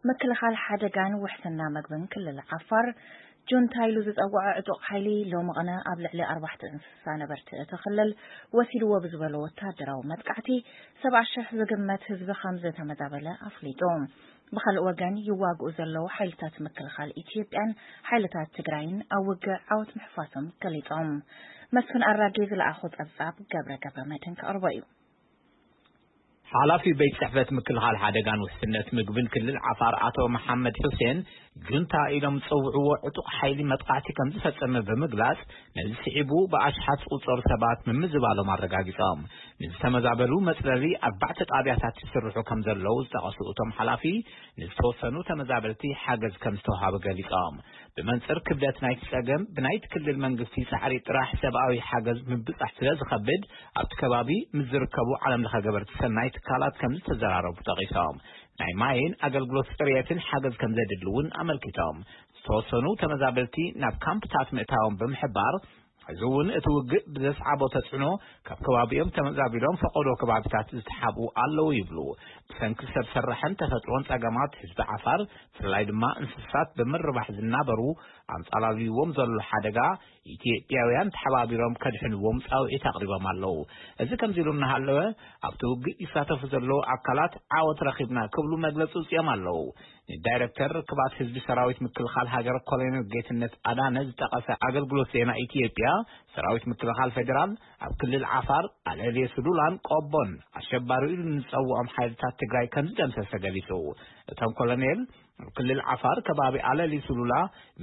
ምክልኻል ሓደጋን ውሕስና መግብን ክልል ዓፋር፣ ጁንታ ኢሉ ዝጸውዖ ዕጡቕ ሓይሊ፣ ሎሚ ቐነ ኣብ ልዕሊ ኣርባዕተ እንስሳ ነበርቲ እቲ ክልል ወሲድዎ ብዝበሎ ወታደራዊ መጥቃዕቲ፣ ሰብዓ ሽሕ ዝግመት ህዝቢ ከም ዝተመዛበለ ኣፍሊጡ። ብኻልእ ወገን፣ ይዋግኡ ዘለዉ ሓይልታት ምክልኻል ኢትዮጵያን ሓይልታት ትግራይን ኣብ ውግእ ዓወት ምሕፋሶም ገሊጾም። መስፍን ኣራጌ ዝለኣኾ ጸብጻብ፣ ገብረ ገብረ መድህን ከቕርቦ እዩ። ሓላፊ ቤት ጽሕፈት ምክልኻል ሓደጋን ውሕስነት ምግብን ክልል ዓፋር ኣቶ መሓመድ ሑሴን፣ ጁንታ ኢሎም ዝጸውዕዎ ዕጡቕ ሓይሊ መጥቃዕቲ ከም ዝፈጸመ ብምግላጽ፣ ነዚ ስዒቡ ብኣሽሓት ዝቑጸሩ ሰባት ምምዝባሎም ኣረጋጊጾም። ንዝተመዛበሉ መጽለሊ ኣርባዕተ ጣብያታት ይስርሑ ከም ዘለዉ ዝጠቐሱ እቶም ሓላፊ፣ ንዝተወሰኑ ተመዛበልቲ ሓገዝ ከም ዝተውሃበ ገሊጾም። ብመንጽር ክብደት ናይቲ ጸገም፣ ብናይቲ ክልል መንግስቲ ጻዕሪ ጥራሕ ሰብኣዊ ሓገዝ ምብጻሕ ስለ ዝኸብድ፣ ኣብቲ ከባቢ ምስ ዝርከቡ ዓለም ለኸ ገበርቲ ሰናይ ትካላት ከም ዝተዘራረቡ ጠቒሶም። ናይ ማይን ኣገልግሎት ጽርየትን ሓገዝ ከም ዘድሊ እውን ኣመልኪቶም። ዝተወሰኑ ተመዛበልቲ ናብ ካምፕታት ምእታዎም ብምሕባር፣ እዚ እውን እቲ ውግእ ብዘስዓቦ ተጽዕኖ፣ ካብ ከባቢኦም ተመዛቢሎም ፈቐዶ ከባቢታት ዝተሓብኡ ኣለዉ ይብሉ። ብሰንኪ ሰብ ሰራሕን ተፈጥሮን ጸገማት፣ ህዝቢ ዓፋር፣ ብፍላይ ድማ እንስሳት ብምርባሕ ዝናበሩ፣ ኣንጻላልይዎም ዘሎ ሓደጋ፣ ኢትዮጵያውያን ተሓባቢሮም ከድሕንዎም ጻውዒት ኣቕሪቦም ኣለዉ። እዚ ከምዚ ኢሉ እናሃለወ፣ ኣብቲ ውግእ ይሳተፉ ዘለዉ ኣካላት ዓወት ረኺብና ክብሉ መግለጺ ኣውጺኦም ኣለዉ። ንዳይረክተር ርክባት ህዝቢ ሰራዊት ምክልኻል ሃገር ኮሎኔል ጌትነት ኣዳነ ዝጠቐሰ ኣገልግሎት ዜና ኢትዮጵያ፣ ሰራዊት ምክልኻል ፌዴራል ኣብ ክልል ዓፋር፣ ኣለልየ ሱሉላን ቆቦን ኣሸባሪ ኢሉ ንዝጸውዖም ሓይልታት ትግራይ ከም ዝደምሰሰ ገሊጹ። እቶም ኮሎኔል፣ ኣብ ክልል ዓፋር ከባቢ ኣለሊ ሱሉላ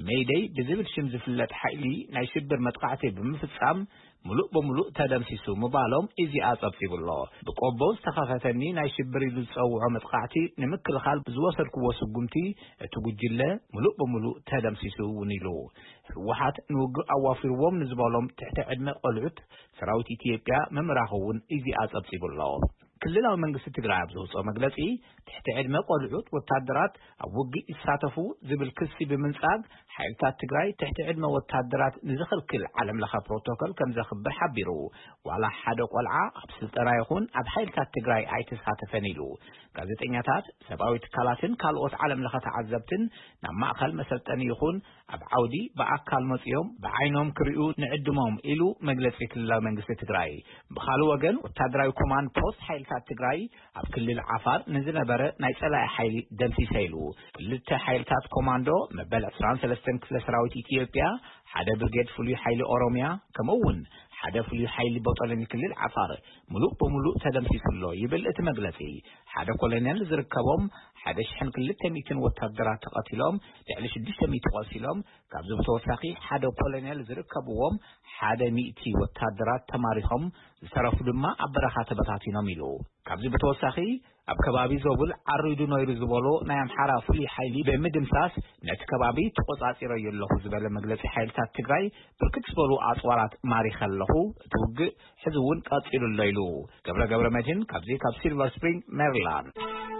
ሜይደይ ብዝብል ሽም ዝፍለጥ ሓይሊ ናይ ሽብር መጥቃዕቲ ብምፍጻም፣ ምሉእ ብምሉእ ተደምሲሱ ምባሎም ኢዜኣ ጸብጺቡ ኣሎ። ብቆቦ ዝተኸፈተኒ ናይ ሽብር ኢሉ ዝጸውዖ መጥቃዕቲ ንምክልኻል ብዝወሰድክዎ ስጉምቲ፣ እቲ ጉጅለ ምሉእ ብምሉእ ተደምሲሱ እውን ኢሉ። ህወሓት ንውግእ ኣዋፊርዎም ንዝበሎም ትሕቲ ዕድመ ቆልዑት ሰራዊት ኢትዮጵያ ምምራኹ እውን ኢዜኣ ጸብጺቡ ኣሎ። ክልላዊ መንግስቲ ትግራይ ኣብ ዘውፅኦ መግለጺ፣ ትሕቲ ዕድመ ቆልዑት ወታደራት ኣብ ውግእ ይሳተፉ ዝብል ክሲ ብምንጻግ፣ ሓይልታት ትግራይ ትሕቲ ዕድመ ወታደራት ንዝኽልክል ዓለም ለኸ ፕሮቶኮል ከም ዘኽብር ሓቢሩ። ዋላ ሓደ ቆልዓ ኣብ ስልጠና ይኹን ኣብ ሓይልታት ትግራይ ኣይተሳተፈን ኢሉ። ጋዜጠኛታት፣ ሰብኣዊ ትካላትን ካልኦት ዓለም ለኸ ተዓዘብትን ናብ ማእኸል መሰልጠኒ ይኹን ኣብ ዓውዲ ብኣካል መጺኦም ብዓይኖም ክርእዩ ንዕድሞም ኢሉ መግለጺ ክልላዊ መንግስቲ ትግራይ። ብኻልእ ወገን፣ ወታደራዊ ኮማንድ ፖስት ሓይልታት ትግራይ ኣብ ክልል ዓፋር ንዝነበረ ናይ ጸላኢ ሓይሊ ደምሲሰ ኢሉ። ክልተ ሓይልታት ኮማንዶ መበል ዕስራን ሰለስተን ክፍለ ሰራዊት ኢትዮጵያ፣ ሓደ ብርጌድ ፍሉይ ሓይሊ ኦሮምያ፣ ከምኡ እውን ሓደ ፍሉይ ሓይሊ ቦጦሎኒ ክልል ዓፋር ምሉእ ብምሉእ ተደምሲሱ ኣሎ ይብል እቲ መግለጺ። ሓደ ኮሎኔል ዝርከቦም ሓደ ሽሕን ክልተ ሚእትን ወታደራት ተቐቲሎም፣ ልዕሊ ሽዱሽተ ሚእቲ ቆሲሎም፣ ካብዚ ብተወሳኺ ሓደ ኮሎኔል ዝርከብዎም ሓደ ሚእቲ ወታደራት ተማሪኾም፣ ዝተረፉ ድማ ኣብ በረኻ ተበታቲኖም ኢሉ። ካብዚ ብተወሳኺ፣ ኣብ ከባቢ ዞብል ዓሪዱ ነይሩ ዝበሎ ናይ ኣምሓራ ፍሉይ ሓይሊ ብምድምሳስ፣ ነቲ ከባቢ ተቆጻጺረዮ ኣለኹ ዝበለ መግለጺ ሓይልታት ትግራይ፣ ብርክት ዝበሉ ኣጽዋራት ማሪኸ ኣለኹ፣ እቲ ውግእ ሕዚ እውን ቀጺሉ ኣሎ ኢሉ። ገብረ ገብረ መድህን ካብዚ ካብ ሲልቨር ስፕሪንግ ሜሪላንድ።